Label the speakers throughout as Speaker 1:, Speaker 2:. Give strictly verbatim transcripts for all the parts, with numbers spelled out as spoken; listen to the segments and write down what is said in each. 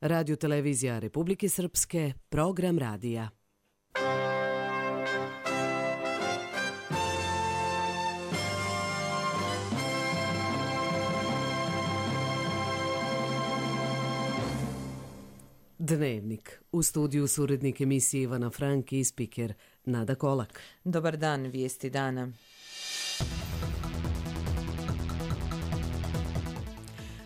Speaker 1: Radio televizija Republike Srpske, program radija. Dnevnik. U studiju su urednik emisije Ivana Frank i spiker Nada Kolak.
Speaker 2: Dobar dan, vijesti dana.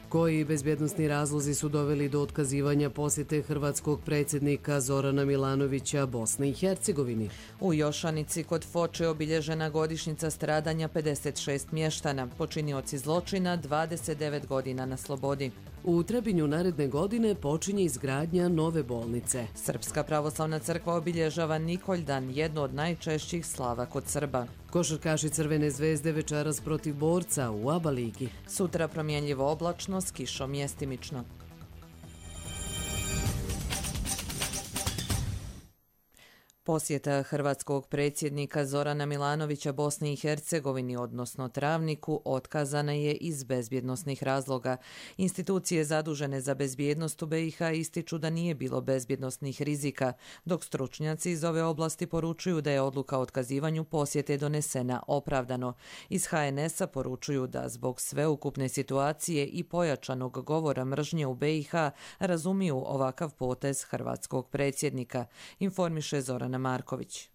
Speaker 1: Koji bezbjednosni razlozi su doveli do otkazivanja posjete hrvatskog predsjednika Zorana Milanovića Bosni i Hercegovini?
Speaker 2: U Jošanici kod Foče obilježena godišnjica stradanja pedeset šest mještana, počinioci zločina dvadeset devet godina na slobodi.
Speaker 1: U Trebinju naredne godine počinje izgradnja nove bolnice.
Speaker 2: Srpska pravoslavna crkva obilježava Nikoljdan, jedno od najčešćih slava kod Srba.
Speaker 1: Košarkaši Crvene zvezde večeras protiv Borca u ABA ligi.
Speaker 2: Sutra promjenljivo oblačno s kišom mjestimično. Posjeta hrvatskog predsjednika Zorana Milanovića Bosni i Hercegovini, odnosno Travniku, otkazana je iz bezbjednosnih razloga. Institucije zadužene za bezbjednost u B i H ističu da nije bilo bezbjednosnih rizika, dok stručnjaci iz ove oblasti poručuju da je odluka o otkazivanju posjete donesena opravdano. Iz H N S-a poručuju da zbog sveukupne situacije i pojačanog govora mržnje u B i H razumiju ovakav potez hrvatskog predsjednika, informiše Zorana Marković.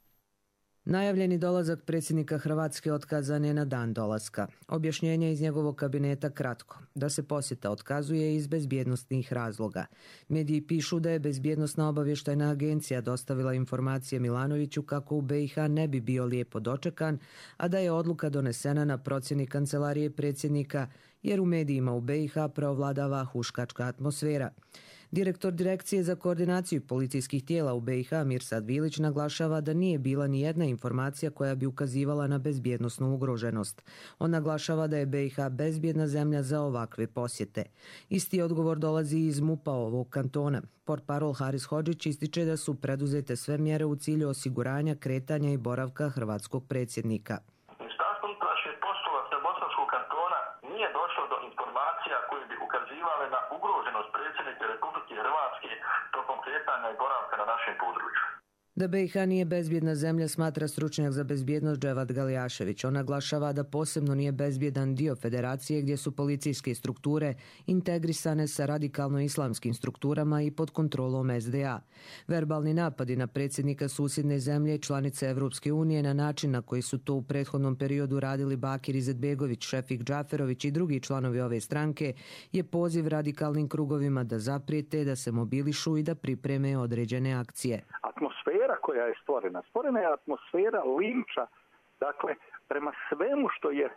Speaker 3: Najavljeni dolazak predsjednika Hrvatske otkazan je na dan dolaska. Objašnjenje iz njegovog kabineta kratko, da se posjeta otkazuje iz bezbjednosnih razloga. Mediji pišu da je Bezbjednosna obavještajna agencija dostavila informacije Milanoviću kako u B i H ne bi bio lijepo dočekan, a da je odluka donesena na procjeni kancelarije predsjednika, jer u medijima u B i H preovladava huškačka atmosfera. Direktor Direkcije za koordinaciju policijskih tijela u B i H Mirsad Vilić naglašava da nije bila ni jedna informacija koja bi ukazivala na bezbjednosnu ugroženost. On naglašava da je B i H bezbjedna zemlja za ovakve posjete. Isti odgovor dolazi iz MUP-a ovog kantona. Portparol Haris Hodžić ističe da su preduzete sve mjere u cilju osiguranja kretanja i boravka hrvatskog predsjednika.
Speaker 4: Nije došlo do informacija koje bi ukazivale na ugroženost predsjednika Republike Hrvatske tokom kretanja i boravka na našem području.
Speaker 3: Da B i H nije bezbjedna zemlja smatra stručnjak za bezbjednost Dževad Galijašević. On naglašava da posebno nije bezbjedan dio federacije gdje su policijske strukture integrisane sa radikalno-islamskim strukturama i pod kontrolom S D A. Verbalni napadi na predsjednika susjedne zemlje i članice Evropske unije na način na koji su to u prethodnom periodu radili Bakir Izetbegović, Šefik Džaferović i drugi članovi ove stranke je poziv radikalnim krugovima da zaprijete, da se mobilišu i da pripreme određene akcije.
Speaker 4: Atmosfera koja je stvorena, stvorena je atmosfera linča, dakle, prema svemu što je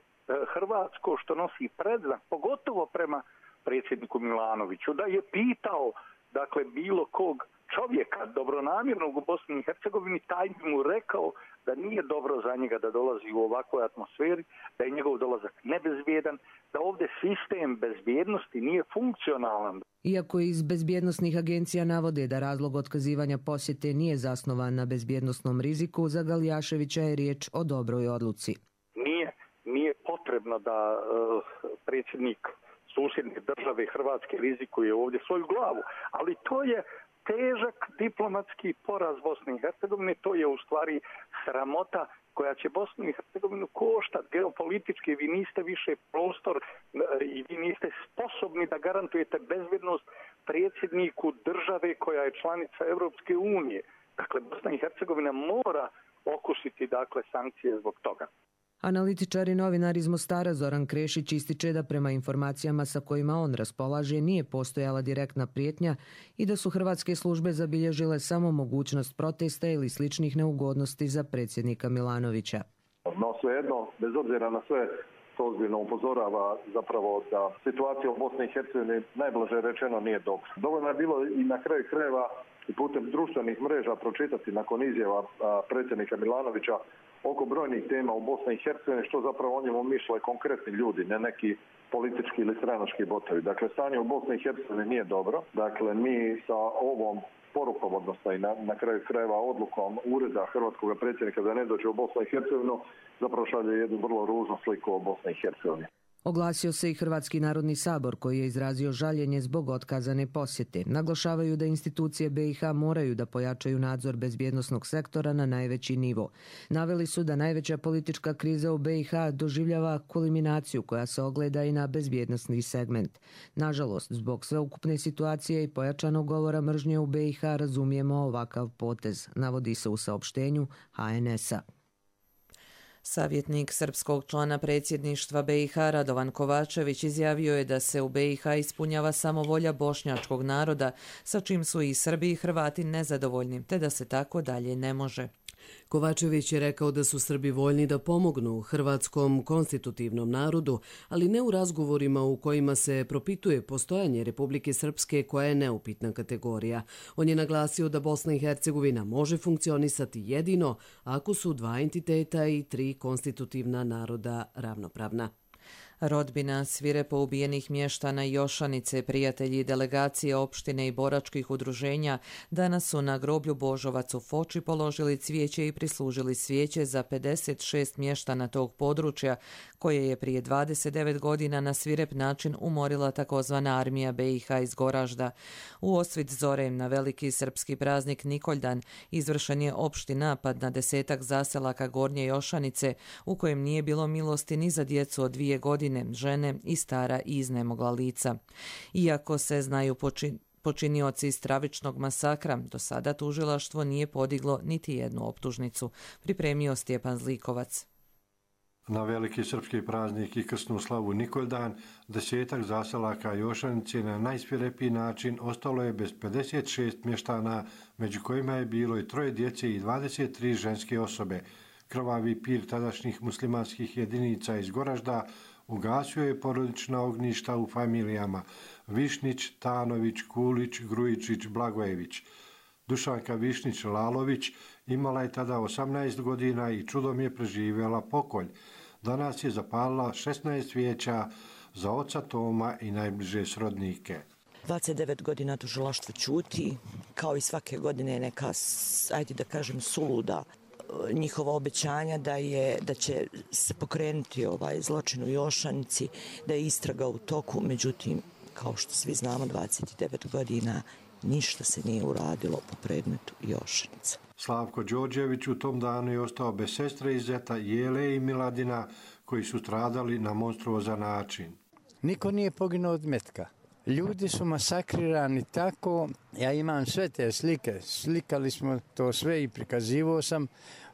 Speaker 4: hrvatsko, što nosi predznak, pogotovo prema predsjedniku Milanoviću, da je pitao, dakle, bilo kog čovjeka dobronamjernog u Bosni i Hercegovini, taj bi mu rekao da nije dobro za njega da dolazi u ovakvoj atmosferi, da je njegov dolazak nebezbjedan, da ovdje sistem bezbjednosti nije funkcionalan.
Speaker 3: Iako iz bezbjednosnih agencija navode da razlog otkazivanja posjete nije zasnovan na bezbjednosnom riziku, za Galijaševića je riječ o dobroj odluci.
Speaker 4: Nije, nije potrebno da uh, predsjednik susjedne države Hrvatske rizikuje ovdje svoju glavu, ali to je težak diplomatski poraz Bosne i Hercegovine, to je u stvari sramota koja će Bosnu i Hercegovinu koštati geopolitički. Vi niste više prostor i vi niste sposobni da garantujete bezbjednost predsjedniku države koja je članica Europske unije. Dakle, Bosna i Hercegovina mora okusiti, dakle, sankcije zbog toga.
Speaker 3: Analitičar i novinar iz Mostara Zoran Krešić ističe da prema informacijama sa kojima on raspolaže nije postojala direktna prijetnja i da su hrvatske službe zabilježile samo mogućnost protesta ili sličnih neugodnosti za predsjednika Milanovića.
Speaker 5: No svejedno, bez obzira na sve, to ozbiljno upozorava zapravo da situacija u Bosni i Hercegovini najblaže rečeno nije dobra. Dovoljno je bilo i na kraju krajeva i putem društvenih mreža pročitati nakon izjava predsjednika Milanovića oko brojnih tema u Bosni i Hercegovini, što zapravo o njemu misle konkretni ljudi, ne neki politički ili stranački botovi. Dakle, stanje u Bosni i Hercegovini nije dobro. Dakle, mi sa ovom porukom, odnosno i na, na kraju krajeva odlukom ureda hrvatskog predsjednika da ne dođe u Bosnu i Hercegovinu, zapravo šalje jednu vrlo ružnu sliku o Bosni i Hercegovini.
Speaker 3: Oglasio se i Hrvatski narodni sabor koji je izrazio žaljenje zbog otkazane posjete. Naglašavaju da institucije B i H moraju da pojačaju nadzor bezbjednosnog sektora na najveći nivo. Naveli su da najveća politička kriza u B i H doživljava kulminaciju koja se ogleda i na bezbjednosni segment. Nažalost, zbog sveukupne situacije i pojačanog govora mržnje u B i H razumijemo ovakav potez, navodi se u saopštenju H N S-a.
Speaker 2: Savjetnik srpskog člana predsjedništva B i H Radovan Kovačević izjavio je da se u B i H ispunjava samo volja bošnjačkog naroda, sa čim su i Srbi i Hrvati nezadovoljni, te da se tako dalje ne može.
Speaker 1: Kovačević je rekao da su Srbi voljni da pomognu hrvatskom konstitutivnom narodu, ali ne u razgovorima u kojima se propituje postojanje Republike Srpske koja je neupitna kategorija. On je naglasio da Bosna i Hercegovina može funkcionisati jedino ako su dva entiteta i tri konstitutivna naroda ravnopravna.
Speaker 2: Rodbina svirepo ubijenih mještana Jošanice, prijatelji i delegacije opštine i boračkih udruženja danas su na groblju Božovac u Foči položili cvijeće i prislužili svijeće za pedeset šest mještana tog područja koje je prije dvadeset devet godina na svirep način umorila takozvana armija B i H iz Goražda. U osvit zore na veliki srpski praznik Nikoljdan izvršen je opšti napad na desetak zaselaka Gornje Jošanice u kojem nije bilo milosti ni za djecu od dvije godine, žene i stara i iznemogla lica. Iako se znaju počin... počinioci stravičnog masakra, do sada tužilaštvo nije podiglo niti jednu optužnicu, pripremio Stjepan Zlikovac.
Speaker 6: Na veliki srpski praznik i krsnu slavu Nikoljdan, desetak zaselaka Jošanice na najsvirepiji način ostalo je bez pedeset šest mještana, među kojima je bilo i troje djece i dvadeset tri ženske osobe. Krvavi pir tadašnjih muslimanskih jedinica iz Goražda ugasio je porodična ognjišta u familijama Višnić, Tanović, Kulić, Grujičić, Blagojević. Dušanka Višnić-Lalović imala je tada osamnaest godina i čudom je preživjela pokolj. Danas je zapalila šesnaest svijeća za oca Toma i najbliže srodnike.
Speaker 7: dvadeset devet godina tužilaštvo ćuti, kao i svake godine neka, ajde da kažem, suluda njihova obećanja da je da će se pokrenuti ovaj zločin u Jošanici, da je istraga u toku, međutim, kao što svi znamo, dvadeset devet godina ništa se nije uradilo po predmetu Jošanica.
Speaker 6: Slavko Đorđević u tom danu je ostao bez sestre i zeta Jele i Miladina koji su stradali na monstruozan način.
Speaker 8: Niko nije poginuo od metka. Ljudi su masakrirani tako, ja imam sve te slike, slikali smo to sve i prikazivao sam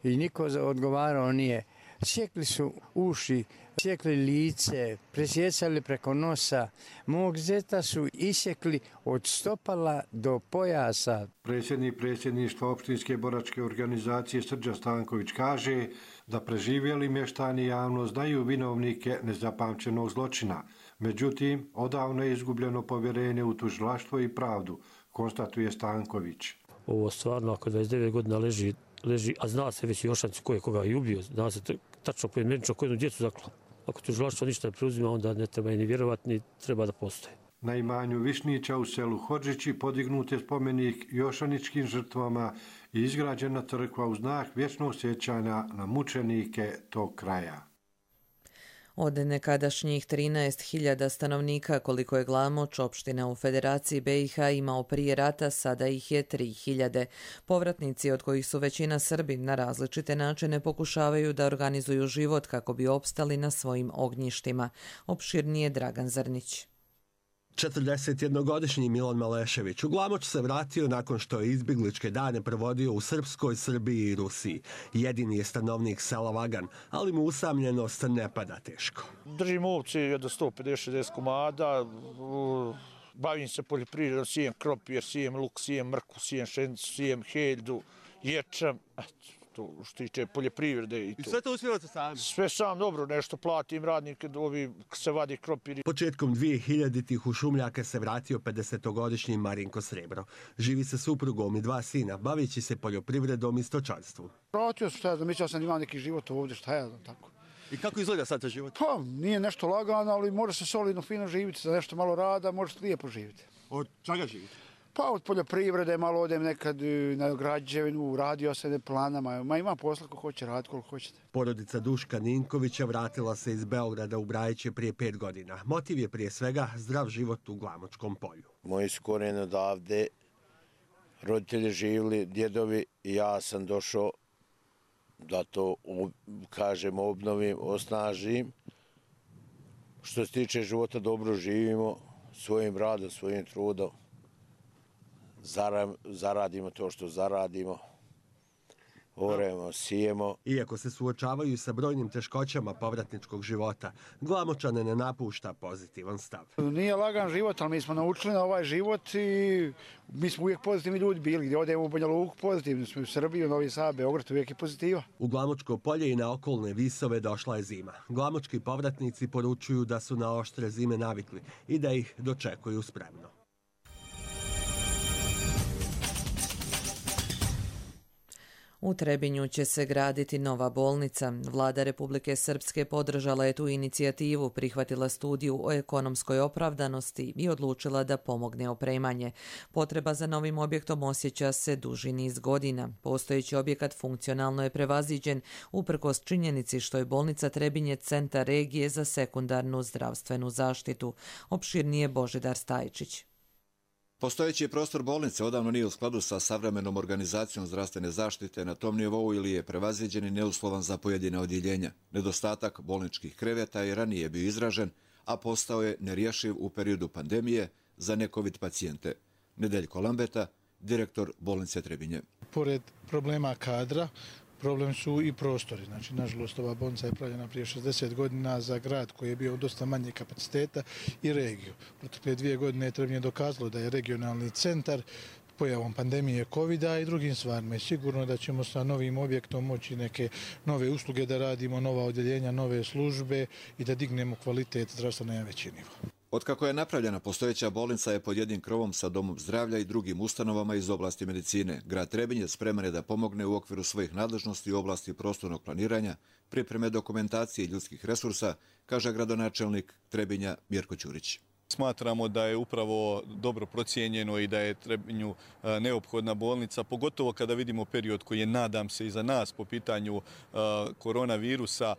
Speaker 8: i niko odgovarao nije. Sjekli su uši, sjekli lice, presjecali preko nosa. Mog zeta su isjekli od stopala do pojasa.
Speaker 6: Predsjednik predsjedništva opštinske boračke organizacije Srđan Stanković kaže da preživjeli mještani javno znaju vinovnike nezapamćenog zločina. Međutim, odavno je izgubljeno povjerenje u tužilaštvo i pravdu, konstatuje Stanković.
Speaker 9: Ovo stvarno, ako dvadeset devet godina leži, leži, a zna se već Jošanicu ko je koga i ubio, zna se tačno pojedinačno koju djecu zaklao. Ako tužilaštvo ništa ne preuzima, onda ne treba ni vjerovati, ni treba da postoje.
Speaker 6: Na imanju Višnića u selu Hodžići podignut je spomenik jošaničkim žrtvama i izgrađena crkva u znak vječnog sjećanja na mučenike tog kraja.
Speaker 2: Od nekadašnjih trinaest hiljada stanovnika koliko je Glamoč, opština u Federaciji B i H imao prije rata, sada ih je tri hiljade. Povratnici, od kojih su većina Srbi, na različite načine pokušavaju da organizuju život kako bi opstali na svojim ognjištima. Opširnije Dragan Zrnić.
Speaker 10: četrdesetjednogodišnji Milan Malešević u Glamoč se vratio nakon što je izbjegličke dane provodio u Srpskoj, Srbiji i Rusiji. Jedini je stanovnik sela Vagan, ali mu usamljenost ne pada teško.
Speaker 11: Držim ovce jedno sto pedeset šezdeset komada, bavim se poljoprivredom, sijem krompir, sijem luk, sijem mrkvu, sijem šenicu, sijem heljdu, ječam, to što tiče poljoprivrede i to.
Speaker 10: I sve to uspjevate sami?
Speaker 11: Sve sam, dobro, nešto platim radnike, ovi se vadi krompiri.
Speaker 10: Početkom dvije hiljaditih u Šumljake se vratio pedesetogodišnji Marinko Srebro. Živi sa suprugom i dva sina, bavići se poljoprivredom i stočarstvom.
Speaker 12: Vratio sam, šta ja znam, mislio sam da imam neki život ovdje, šta ja znam, tako.
Speaker 10: I kako izgleda sad ta život?
Speaker 12: Pa, nije nešto lagano, ali može se solidno fino živjeti, za nešto malo rada, može se lijepo živjeti.
Speaker 10: Od čega živite?
Speaker 12: Pa od poljoprivrede, malo odem nekad na građevinu, radio se ne planama, ma ima posla ko hoće raditi, koliko hoćete.
Speaker 10: Porodica Duška Ninkovića vratila se iz Beograda u Brajiće prije pet godina. Motiv je prije svega zdrav život u Glamočkom polju.
Speaker 13: Moji su korijeni odavde, roditelji živjeli, djedovi i ja sam došao da to, kažem, obnovim, osnažim. Što se tiče života, dobro živimo, svojim radom, svojim trudom. Zaradimo to što zaradimo, oremo, sijemo.
Speaker 10: Iako se suočavaju sa brojnim teškoćama povratničkog života, Glamočane ne napušta pozitivan stav.
Speaker 12: Nije lagan život, ali mi smo naučili na ovaj život i mi smo uvijek pozitivni ljudi bili. Gdje odemo u Banja Luku, pozitivni smo u Srbiji, u Novi Sad, Beograd, uvijek je pozitiva.
Speaker 10: U Glamočko polje i na okolne visove došla je zima. Glamočki povratnici poručuju da su na oštre zime navikli i da ih dočekuju spremno.
Speaker 2: U Trebinju će se graditi nova bolnica. Vlada Republike Srpske podržala je tu inicijativu, prihvatila studiju o ekonomskoj opravdanosti i odlučila da pomogne opremanje. Potreba za novim objektom osjeća se duži niz godina. Postojeći objekat funkcionalno je prevaziđen uprkos činjenici što je bolnica Trebinje centar regije za sekundarnu zdravstvenu zaštitu. Opširnije Božidar Stajčić.
Speaker 14: Postojeći prostor bolnice odavno nije u skladu sa savremenom organizacijom zdravstvene zaštite na tom nivou ili je prevaziđen i neuslovan za pojedine odjeljenja. Nedostatak bolničkih kreveta je ranije bio izražen, a postao je nerješiv u periodu pandemije za ne-covid pacijente. Nedeljko Lambeta, direktor bolnice Trebinje.
Speaker 15: Pored problema kadra, problem su i prostori. Znači, nažalost, ova bolnica je pravljena prije šezdeset godina za grad koji je bio dosta manje kapaciteta i regiju. Protekle dvije godine je Trebinje dokazalo da je regionalni centar pojavom pandemije kovida i drugim stvarima. I sigurno da ćemo sa novim objektom moći neke nove usluge da radimo, nova odjeljenja, nove službe i da dignemo kvalitet zdravstva na veći nivo.
Speaker 14: Otkako je napravljena postojeća bolnica je pod jednim krovom sa domom zdravlja i drugim ustanovama iz oblasti medicine. Grad Trebinje spreman je da pomogne u okviru svojih nadležnosti u oblasti prostornog planiranja, pripreme dokumentacije i ljudskih resursa, kaže gradonačelnik Trebinja Mirko Ćurić.
Speaker 16: Smatramo da je upravo dobro procijenjeno i da je Trebinju neophodna bolnica, pogotovo kada vidimo period koji je, nadam se, iza nas po pitanju koronavirusa.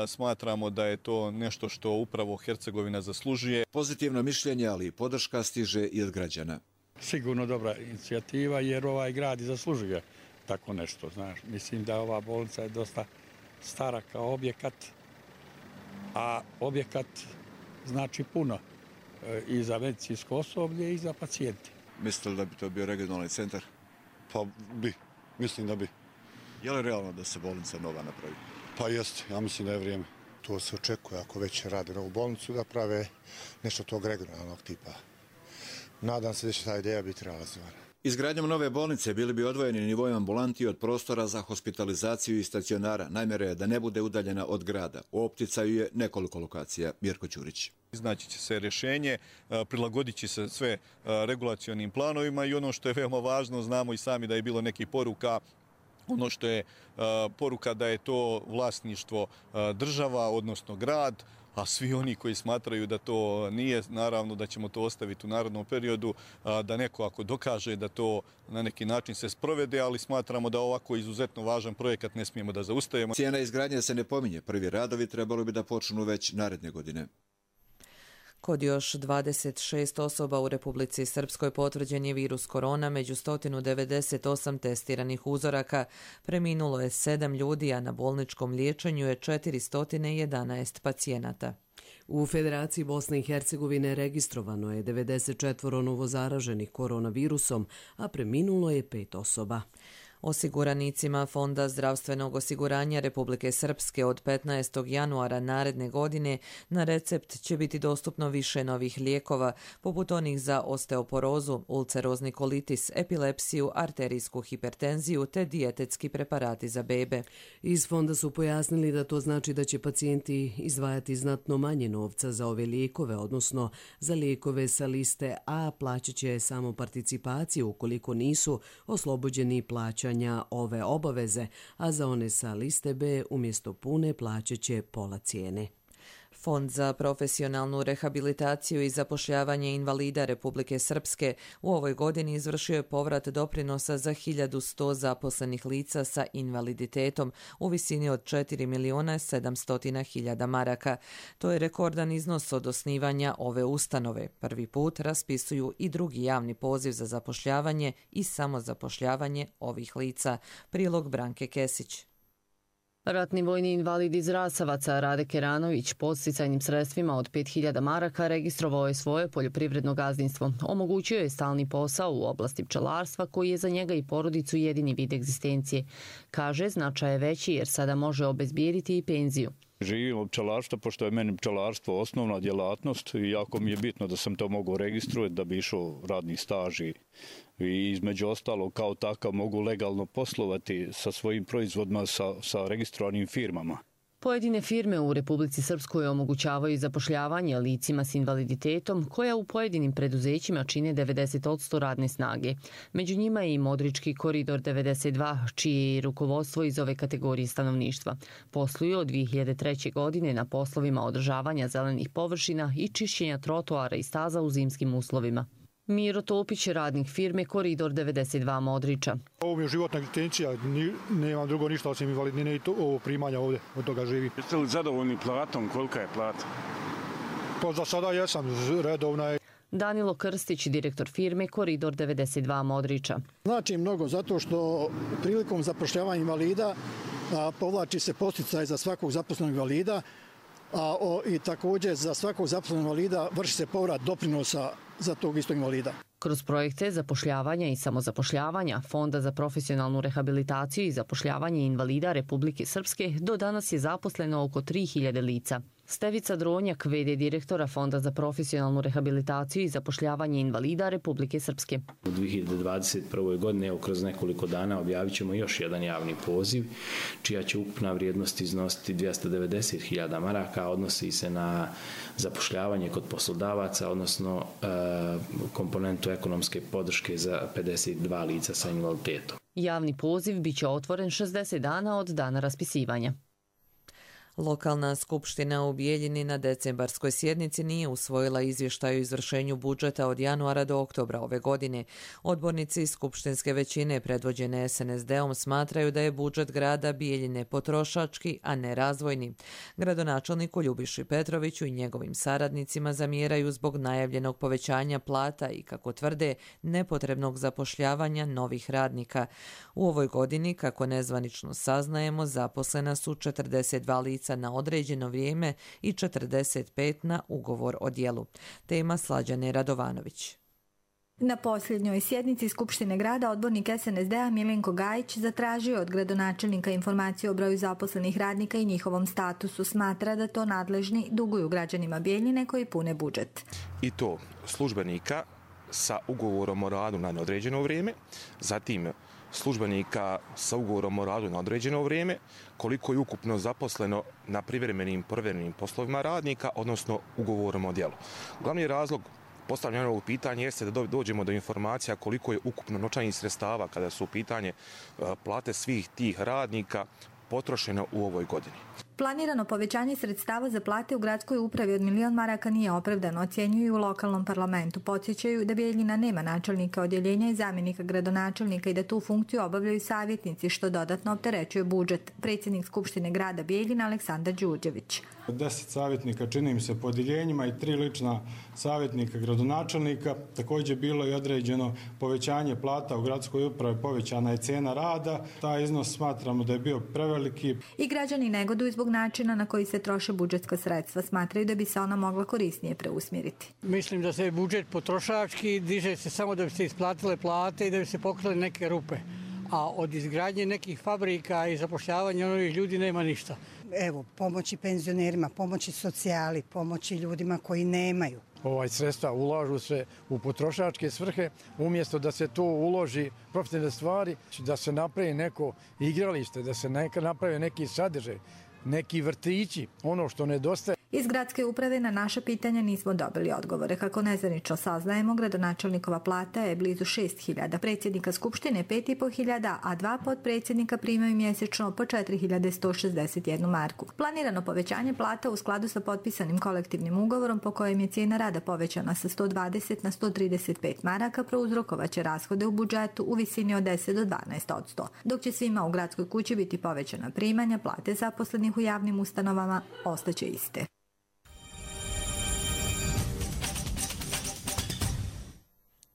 Speaker 16: Smatramo da je to nešto što upravo Hercegovina zaslužuje.
Speaker 14: Pozitivno mišljenje, ali i podrška stiže i od građana.
Speaker 17: Sigurno dobra inicijativa jer ovaj grad i zaslužuje tako nešto. Znaš. Mislim da ova bolnica je dosta stara kao objekat, a objekat znači puno i za medicinsko osoblje i za pacijenti.
Speaker 14: Mislite li da bi to bio regionalni centar?
Speaker 18: Pa bi, mislim da bi.
Speaker 14: Je li realno da se bolnica nova napravi?
Speaker 18: Pa jeste, ja mislim da je vrijeme. To se očekuje ako već rade novu bolnicu da prave nešto tog regionalnog tipa. Nadam se da će ta ideja biti realizovana.
Speaker 14: Izgradnjom nove bolnice bili bi odvojeni nivoj ambulanti od prostora za hospitalizaciju i stacionara. Namjera je da ne bude udaljena od grada. U opticaju je nekoliko lokacija. Mirko Ćurić.
Speaker 16: Iznaći će se rješenje, prilagodit će se sve regulacionim planovima i ono što je veoma važno, znamo i sami da je bilo nekih poruka, ono što je poruka da je to vlasništvo država, odnosno grad, a svi oni koji smatraju da to nije, naravno da ćemo to ostaviti u narodnom periodu, da neko ako dokaže da to na neki način se sprovede, ali smatramo da ovako izuzetno važan projekat ne smijemo da zaustavimo.
Speaker 14: Cijena izgradnje se ne pominje. Prvi radovi trebalo bi da počnu već naredne godine.
Speaker 2: Kod još dvadeset šest osoba u Republici Srpskoj potvrđen je virus korona, među sto devedeset osam testiranih uzoraka. Preminulo je sedam ljudi, a na bolničkom liječenju je četiristo jedanaest pacijenata.
Speaker 1: U Federaciji Bosne i Hercegovine registrovano je devedeset četiri novozaraženih koronavirusom, a preminulo je pet osoba.
Speaker 2: Osiguranicima Fonda zdravstvenog osiguranja Republike Srpske od petnaestog januara naredne godine na recept će biti dostupno više novih lijekova, poput onih za osteoporozu, ulcerozni kolitis, epilepsiju, arterijsku hipertenziju te dijetetski preparati za bebe.
Speaker 1: Iz fonda su pojasnili da to znači da će pacijenti izdvajati znatno manje novca za ove lijekove, odnosno za lijekove sa liste A plaćat će samo participaciju ukoliko nisu oslobođeni plaćanja ove obaveze, a za one sa liste B umjesto pune plaćat će pola cijene.
Speaker 2: Fond za profesionalnu rehabilitaciju i zapošljavanje invalida Republike Srpske u ovoj godini izvršio je povrat doprinosa za hiljadu sto zaposlenih lica sa invaliditetom u visini od četiri miliona sedamsto hiljada maraka. To je rekordan iznos od osnivanja ove ustanove. Prvi put raspisuju i drugi javni poziv za zapošljavanje i samozapošljavanje ovih lica. Prilog Branke Kesić.
Speaker 19: Ratni vojni invalid iz Rasavaca Rade Keranović podsticajnim sredstvima od pet hiljada maraka registrovao je svoje poljoprivredno gazdinstvo. Omogućio je stalni posao u oblasti pčelarstva koji je za njega i porodicu jedini vid egzistencije. Kaže, značaj je veći jer sada može obezbijediti i penziju.
Speaker 20: Živim od pčelarstva, pošto je meni pčelarstvo osnovna djelatnost i jako mi je bitno da sam to mogao registrovati da bi išao radni staž i između ostalo kao takav mogu legalno poslovati sa svojim proizvodima sa, sa registrovanim firmama.
Speaker 19: Pojedine firme u Republici Srpskoj omogućavaju zapošljavanje licima s invaliditetom koja u pojedinim preduzećima čine devedeset posto radne snage. Među njima je i Modrički koridor devedeset dva, čije je rukovodstvo iz ove kategorije stanovništva. Posluju od dvije hiljade treće. godine na poslovima održavanja zelenih površina i čišćenja trotoara i staza u zimskim uslovima. Miro Topić je radnik firme Koridor devedeset dva Modriča.
Speaker 21: Ovo mi je životna egzistencija, nemam drugo ništa osim invalidnine i to, ovo primanja ovdje, od toga živi.
Speaker 22: Jeste li zadovoljni platom? Kolika je plata?
Speaker 21: Pa za sada jesam, redovna je.
Speaker 19: Danilo Krstić, direktor firme Koridor devedeset dva Modriča.
Speaker 23: Znači mnogo zato što prilikom zapošljavanja invalida a, povlači se podsticaj za svakog zaposlenog invalida, a o, i također za svakog zaposlenog invalida vrši se povrat doprinosa za tog istog invalida.
Speaker 19: Kroz projekte zapošljavanja i samozapošljavanja Fonda za profesionalnu rehabilitaciju i zapošljavanje invalida Republike Srpske do danas je zaposleno oko tri hiljade lica. Stevica Dronjak, ve de direktora Fonda za profesionalnu rehabilitaciju i zapošljavanje invalida Republike Srpske.
Speaker 24: U dvije hiljade dvadeset prvoj. godine, evo kroz nekoliko dana, objavit ćemo još jedan javni poziv, čija će ukupna vrijednost iznositi dvjesto devedeset hiljada maraka, odnosi se na zapošljavanje kod poslodavaca, odnosno e, komponentu ekonomske podrške za pedeset dva lica sa invaliditetom.
Speaker 19: Javni poziv biće otvoren šezdeset dana od dana raspisivanja.
Speaker 2: Lokalna skupština u Bijeljini na decembarskoj sjednici nije usvojila izvještaj o izvršenju budžeta od januara do oktobra ove godine. Odbornici skupštinske većine predvođene es en es de-om smatraju da je budžet grada Bijeljine potrošački, a ne razvojni. Gradonačelniku Ljubiši Petroviću i njegovim saradnicima zamjeraju zbog najavljenog povećanja plata i, kako tvrde, nepotrebnog zapošljavanja novih radnika. U ovoj godini, kako nezvanično saznajemo, zaposlena su četrdeset dva lica na određeno vrijeme i četrdeset pet na ugovor o djelu. Tema Slađane Radovanović.
Speaker 25: Na posljednjoj sjednici Skupštine grada odbornik es en es de-a Milenko Gajić zatražio od gradonačelnika informaciju o broju zaposlenih radnika i njihovom statusu. Smatra da to nadležni duguju građanima Bijeljine koji pune budžet.
Speaker 26: I to službenika sa ugovorom o radu na neodređeno vrijeme, zatim službenika sa ugovorom o radu na određeno vrijeme, koliko je ukupno zaposleno na privremenim povremenim poslovima radnika, odnosno ugovorom o djelu. Glavni razlog postavljanja ovog pitanja jeste da dođemo do informacija koliko je ukupno novčanih sredstava kada su u pitanje plate svih tih radnika potrošeno u ovoj godini.
Speaker 25: Planirano povećanje sredstava za plate u gradskoj upravi od milion maraka nije opravdano, ocjenjuju u lokalnom parlamentu. Podsjećaju da Bijeljina nema načelnika odjeljenja i zamjenika gradonačelnika i da tu funkciju obavljaju savjetnici, što dodatno opterećuje budžet. Predsjednik Skupštine grada Bijeljina Aleksandar Đurđević.
Speaker 27: Deset savjetnika čini mi se po odjeljenjima i tri lična savjetnika gradonačelnika. Također bilo je određeno povećanje plata u gradskoj upravi, povećana je cijena rada. Taj iznos smatramo da je bio preveliki.
Speaker 25: I građani negoduju zbog načina na koji se troše budžetska sredstva. Smatraju da bi se ona mogla korisnije preusmjeriti.
Speaker 28: Mislim da se budžet potrošački diže se samo da bi se isplatile plate i da bi se pokrili neke rupe. A od izgradnje nekih fabrika i zapošljavanja novih ljudi nema ništa.
Speaker 29: Evo, pomoći penzionerima, pomoći socijali, pomoći ljudima koji nemaju.
Speaker 17: Ovaj sredstva ulažu se u potrošačke svrhe, umjesto da se to uloži profitabilne stvari, da se napravi neko igralište, da se neka napravi neki sadržaj, neki vrtići, ono što nedostaje.
Speaker 25: Iz gradske uprave na naša pitanja nismo dobili odgovore. Kako nezvanično saznajemo, gradonačelnikova plata je blizu šest hiljada, predsjednika Skupštine pet i po hiljada, a dva potpredsjednika primaju mjesečno po četiri hiljade sto šezdeset jednu marku. Planirano povećanje plata u skladu sa potpisanim kolektivnim ugovorom po kojem je cijena rada povećana sa sto dvadeset na sto trideset pet maraka prouzrokovaće rashode u budžetu u visini od deset do dvanaest odsto, dok će svima u gradskoj kući biti povećana primanja, plate zaposlenih u javnim ustanovama ostaće iste.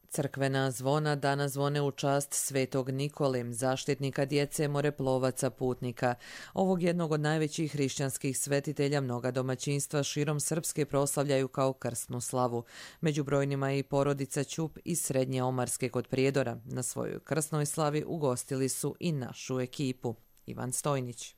Speaker 2: Crkvena zvona danas zvone u čast Svetog Nikole, zaštitnika djece, moreplovaca, putnika. Ovog jednog od najvećih hrišćanskih svetitelja mnoga domaćinstva širom Srpske proslavljaju kao krsnu slavu. Među brojnima je i porodica Ćup iz Srednje Omarske kod Prijedora. Na svojoj krsnoj slavi ugostili su i našu ekipu. Ivan Stojnić.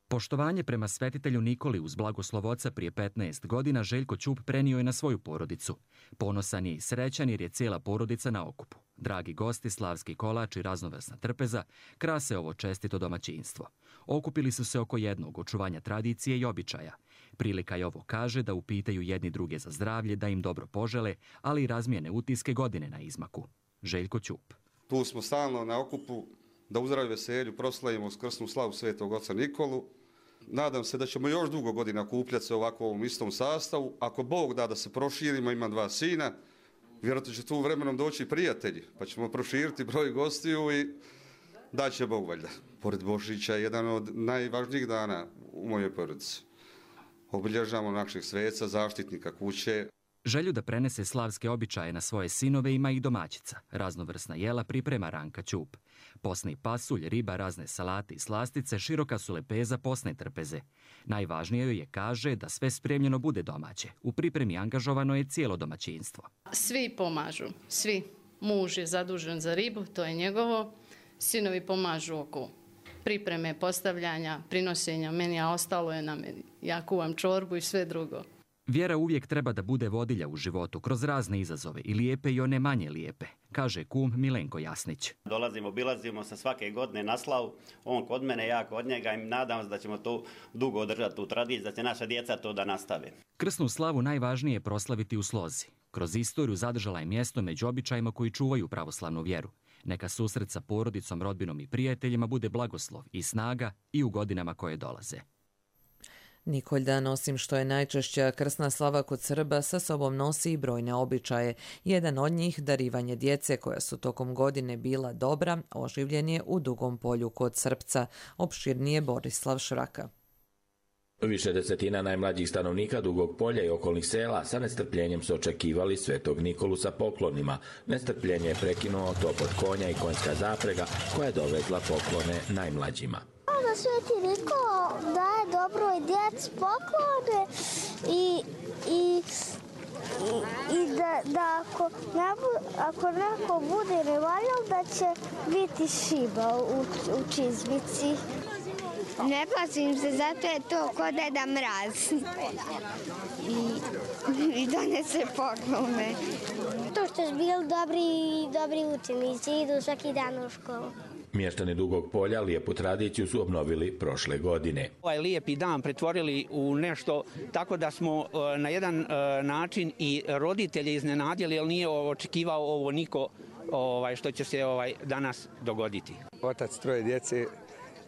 Speaker 3: Poštovanje prema svetitelju Nikoli uz blagoslov oca prije petnaest godina Željko Ćup prenio je na svoju porodicu. Ponosan je i srećan jer je cijela porodica na okupu. Dragi gosti, slavski kolač i raznovrsna trpeza krase ovo čestito domaćinstvo. Okupili su se oko jednog, očuvanja tradicije i običaja. Prilika je ovo, kaže, da upitaju jedni druge za zdravlje, da im dobro požele, ali i razmijene utiske godine na izmaku. Željko Ćup.
Speaker 4: Tu smo stalno na okupu da u zdravlju veselju proslavimo krsnu slavu Svetog oca Nikolu. Nadam se da ćemo još dugo godina kupljati se ovako u ovom istom sastavu. Ako Bog da da se proširimo, imam dva sina, vjerojatno će tu vremenom doći prijatelji, pa ćemo proširiti broj gostiju i da će Bog valjda. Pored Božića je jedan od najvažnijih dana u mojoj porodici. Obilježavamo naših sveca, zaštitnika kuće.
Speaker 3: Želju da prenese slavske običaje na svoje sinove ima i domaćica. Raznovrsna jela priprema Ranka Ćup. Posni pasulj, riba, razne salate i slastice, široka su lepeza posne trpeze. Najvažnije joj je, kaže, da sve spremljeno bude domaće. U pripremi angažovano je cijelo domaćinstvo.
Speaker 5: Svi pomažu, svi. Muž je zadužen za ribu, to je njegovo. Sinovi pomažu oko pripreme, postavljanja, prinosenja meni, a ostalo je na meni. Ja kuvam čorbu i sve drugo.
Speaker 3: Vjera uvijek treba da bude vodilja u životu kroz razne izazove, i lijepe i one manje lijepe, kaže kum Milenko Jasnić.
Speaker 6: Dolazimo, obilazimo se svake godine na slavu, on kod mene, ja kod njega i nadam se da ćemo to dugo održati tu tradiciju, da će naša djeca to da nastave.
Speaker 3: Krsnu slavu najvažnije je proslaviti u slozi. Kroz istoriju zadržala je mjesto među običajima koji čuvaju pravoslavnu vjeru. Neka susret sa porodicom, rodbinom i prijateljima bude blagoslov i snaga i u godinama koje dolaze.
Speaker 2: Nikoljdan, osim što je najčešća krsna slava kod Srba, sa sobom nosi i brojne običaje. Jedan od njih, darivanje djece koja su tokom godine bila dobra, oživljen je u Dugom Polju kod Srpca. Opširnije Borislav Šraka.
Speaker 7: Više desetina najmlađih stanovnika Dugog Polja i okolnih sela sa nestrpljenjem su očekivali Svetog Nikolu sa poklonima. Nestrpljenje je prekinuo topot konja i konjska zaprega koja je dovezla poklone najmlađima.
Speaker 8: Da Sveti Nikola daje dobroj djeci poklone i, i, i, i da, da ako, ne bu, ako neko bude nevaljal da će biti šiba u, u čizmici.
Speaker 9: Ne pazim se, zato je to ko Deda Mraz. I, i donese poklone.
Speaker 8: To što su bili dobri, dobri učenici, idu svaki dan u školu.
Speaker 7: Mještani Dugog Polja lijepu tradiciju su obnovili prošle godine.
Speaker 11: Ovaj lijepi dan pretvorili u nešto tako da smo na jedan način i roditelje iznenadili, jer nije očekivao ovo niko ovaj, što će se ovaj danas dogoditi.
Speaker 13: Otac troje djece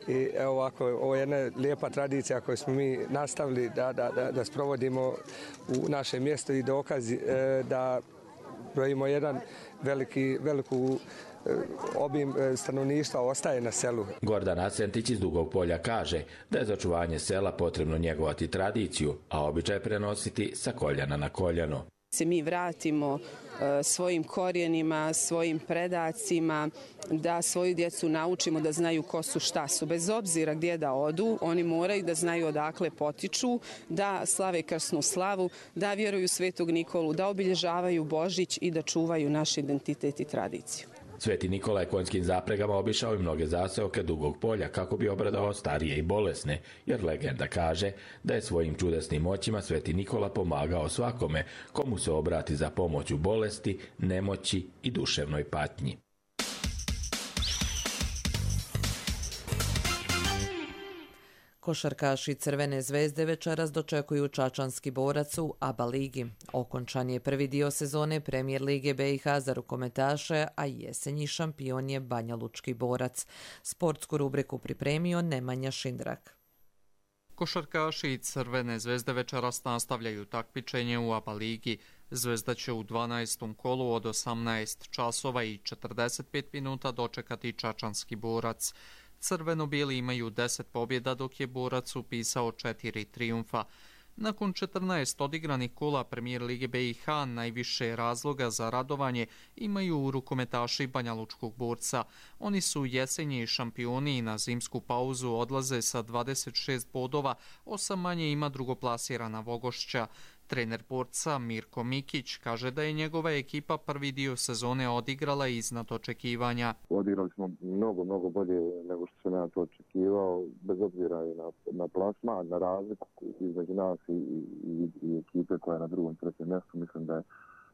Speaker 13: i evo ovako, ovo je jedna lijepa tradicija koju smo mi nastavili da, da, da, da sprovodimo u našem mjestu i dokaz da brojimo jedan veliki, veliku obim stanovništva ostaje na selu.
Speaker 7: Gordan Asentić iz Dugog Polja kaže da je za očuvanje sela potrebno njegovati tradiciju, a običaj prenositi sa koljana na koljano.
Speaker 30: Se mi vratimo svojim korijenima, svojim predacima, da svoju djecu naučimo da znaju ko su, šta su. Bez obzira gdje da odu, oni moraju da znaju odakle potiču, da slave krsnu slavu, da vjeruju Svetog Nikolu, da obilježavaju Božić i da čuvaju naš identitet i tradiciju.
Speaker 7: Sveti Nikola je konjskim zapregama obišao i mnoge zaseoke Dugog Polja kako bi obradao starije i bolesne, jer legenda kaže da je svojim čudesnim moćima Sveti Nikola pomagao svakome komu se obrati za pomoć u bolesti, nemoći i duševnoj patnji.
Speaker 2: Košarkaši Crvene zvezde večeras dočekuju čačanski borac u A B A ligi. Okončan je prvi dio sezone Premijer lige B i H za rukometaše, a jesenji šampion je banjalučki borac. Sportsku rubriku pripremio Nemanja Šindrak.
Speaker 1: Košarkaši Crvene zvezde večeras nastavljaju takmičenje u A B A ligi. Zvezda će u dvanaestom kolu od osamnaest časova i četrdeset pet minuta dočekati čačanski borac. Crveno-bijeli imaju deset pobjeda, dok je borac upisao četiri trijumfa. Nakon četrnaest odigranih kola Premijer lige B i H najviše razloga za radovanje imaju rukometaši banjalučkog borca. Oni su jesenji šampioni i na zimsku pauzu odlaze sa dvadeset šest bodova, osam manje ima drugoplasirana Vogošća. Trener borca Mirko Mikić kaže da je njegova ekipa prvi dio sezone odigrala iznad očekivanja.
Speaker 10: Odigrali smo mnogo, mnogo bolje nego što sam ja to očekivao, bez obzira i na, na plasman, na razliku između nas i, i, i ekipe koja je na drugom, trećem mjestu. Mislim da je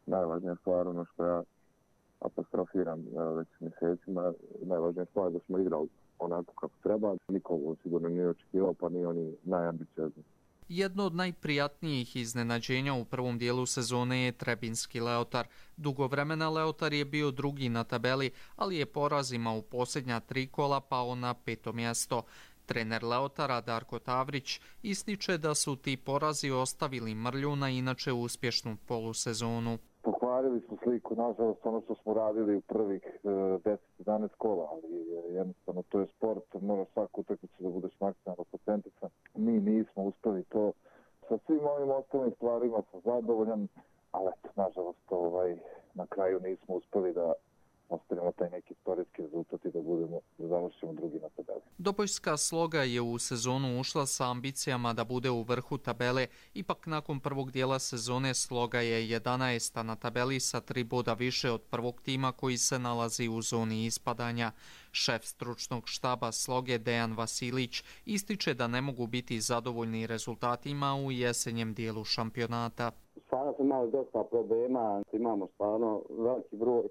Speaker 10: najvažnija stvar ono što ja apostrofiram već mjesecima. Najvažnija stvar je da smo igrali onako kako treba. Niko sigurno nije očekivao, pa ni oni najambiciozni.
Speaker 1: Jedno od najprijatnijih iznenađenja u prvom dijelu sezone je trebinski Leotar. Dugo vremena Leotar je bio drugi na tabeli, ali je porazima u posljednja tri kola pao na peto mjesto. Trener Leotara Darko Tavrić ističe da su ti porazi ostavili mrlju na inače uspješnu polusezonu.
Speaker 10: Pokvarili smo sliku, nažalost, ono što smo radili u prvih deset jedanaest kola, ali jednostavno to je sport, mora svaku utakmicu da budeš maksimalno procentican. Mi nismo uspjeli to. Sa svim ovim ostalim stvarima sam zadovoljan, ali eto, nažalost, ovaj, na kraju nismo uspjeli da ostavimo taj neki istorijski rezultat i da budemo, da završimo drugi na tabeli.
Speaker 1: Dobojska Sloga je u sezonu ušla sa ambicijama da bude u vrhu tabele, ipak nakon prvog dijela sezone Sloga je jedanaesta na tabeli sa tri boda više od prvog tima koji se nalazi u zoni ispadanja. Šef stručnog štaba Sloge Dejan Vasilić ističe da ne mogu biti zadovoljni rezultatima u jesenjem dijelu šampionata.
Speaker 12: Stvarno smo imali dosta problema, imamo stvarno veliki broj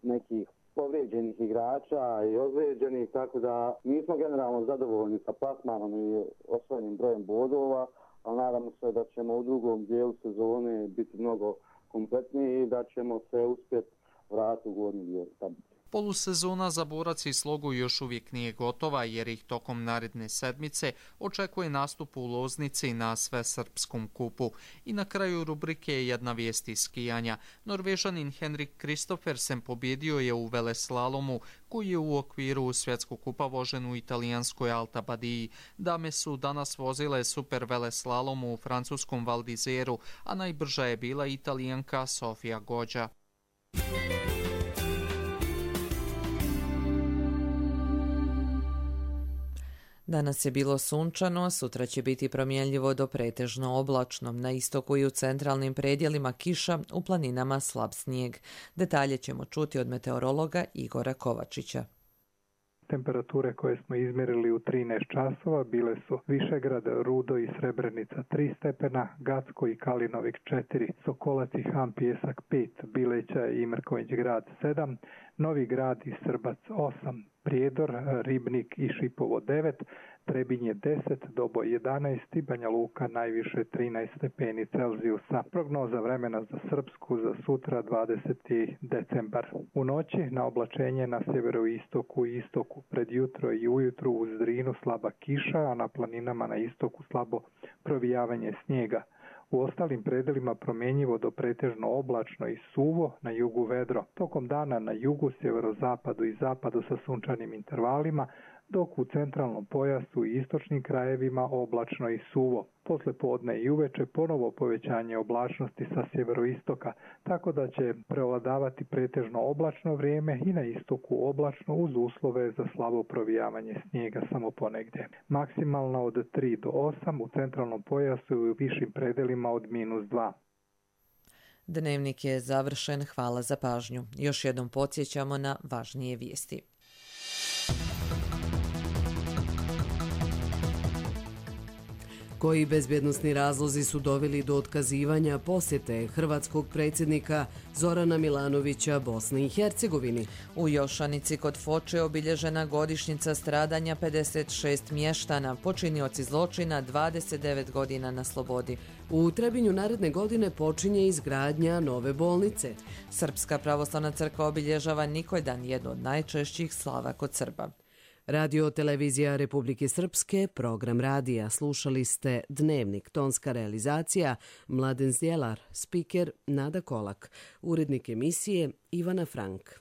Speaker 12: nekih povrijeđenih igrača i ozlijeđenih, tako da nismo generalno zadovoljni sa plasmanom i osvojenim brojem bodova, ali nadamo se da ćemo u drugom dijelu sezone biti mnogo kompletniji i da ćemo se uspjeti vratiti u gornji dio tablice.
Speaker 1: Polusezona za borac i Slogu još uvijek nije gotova jer ih tokom naredne sedmice očekuje nastup u Loznici na Svesrpskom kupu. I na kraju rubrike je jedna vijest iz skijanja. Norvežanin Henrik Kristoffersen pobjedio je u veleslalomu koji je u okviru svjetskog kupa vožen u italijanskoj Alta Badiji. Dame su danas vozile super veleslalomu u francuskom Val d'Izeru, a najbrža je bila Italijanka Sofia Goggia.
Speaker 2: Danas je bilo sunčano, sutra će biti promjenljivo do pretežno oblačno. Na istoku i u centralnim predjelima kiša, u planinama slab snijeg. Detalje ćemo čuti od meteorologa Igora Kovačića.
Speaker 14: Temperature koje smo izmjerili u trinaest časova bile su Višegrad, Rudo i Srebrenica tri stepena, Gacko i Kalinovik četiri, Sokolac i Han Pijesak pet, Bileća i Mrkonjić grad sedam, Novi grad i Srbac osam, Prijedor, Ribnik i Šipovo devet, Trebinje deset, Doboj jedanaest i Banja Luka najviše trinaest stepeni Celzijusa. Prognoza vremena za Srpsku za sutra dvadeseti decembar. U noći na oblačenje na sjeveroistoku i istoku, pred jutro i ujutru uz Drinu slaba kiša, a na planinama na istoku slabo provijavanje snijega. U ostalim predelima promjenjivo do pretežno oblačno i suvo, na jugu vedro. Tokom dana na jugu, sjeverozapadu i zapadu sa sunčanim intervalima, dok u centralnom pojasu i istočnim krajevima oblačno i suvo. Posle podne i uveče ponovo povećanje oblačnosti sa sjeveroistoka, tako da će prevladavati pretežno oblačno vrijeme i na istoku oblačno uz uslove za slabo provijavanje snijega samo ponegdje. Maksimalno od tri do osam, u centralnom pojasu i u višim predelima od minus dva.
Speaker 2: Dnevnik je završen, hvala za pažnju. Još jednom podsjećamo na važnije vijesti.
Speaker 15: Koji bezbjednosni razlozi su doveli do otkazivanja posjete hrvatskog predsjednika Zorana Milanovića Bosni i Hercegovini?
Speaker 2: U Jošanici kod Foče obilježena godišnjica stradanja pedeset šest mještana, počinioci zločina dvadeset devet godina na slobodi.
Speaker 15: U Trebinju naredne godine počinje izgradnja nove bolnice.
Speaker 2: Srpska pravoslavna crkva obilježava Nikojdan, jedno od najčešćih slava kod Srba.
Speaker 15: Radio televizija Republike Srpske, program radija. Slušali ste Dnevnik, tonska realizacija Mladen Zdjelar, spiker Nada Kolak, urednik emisije Ivana Frank.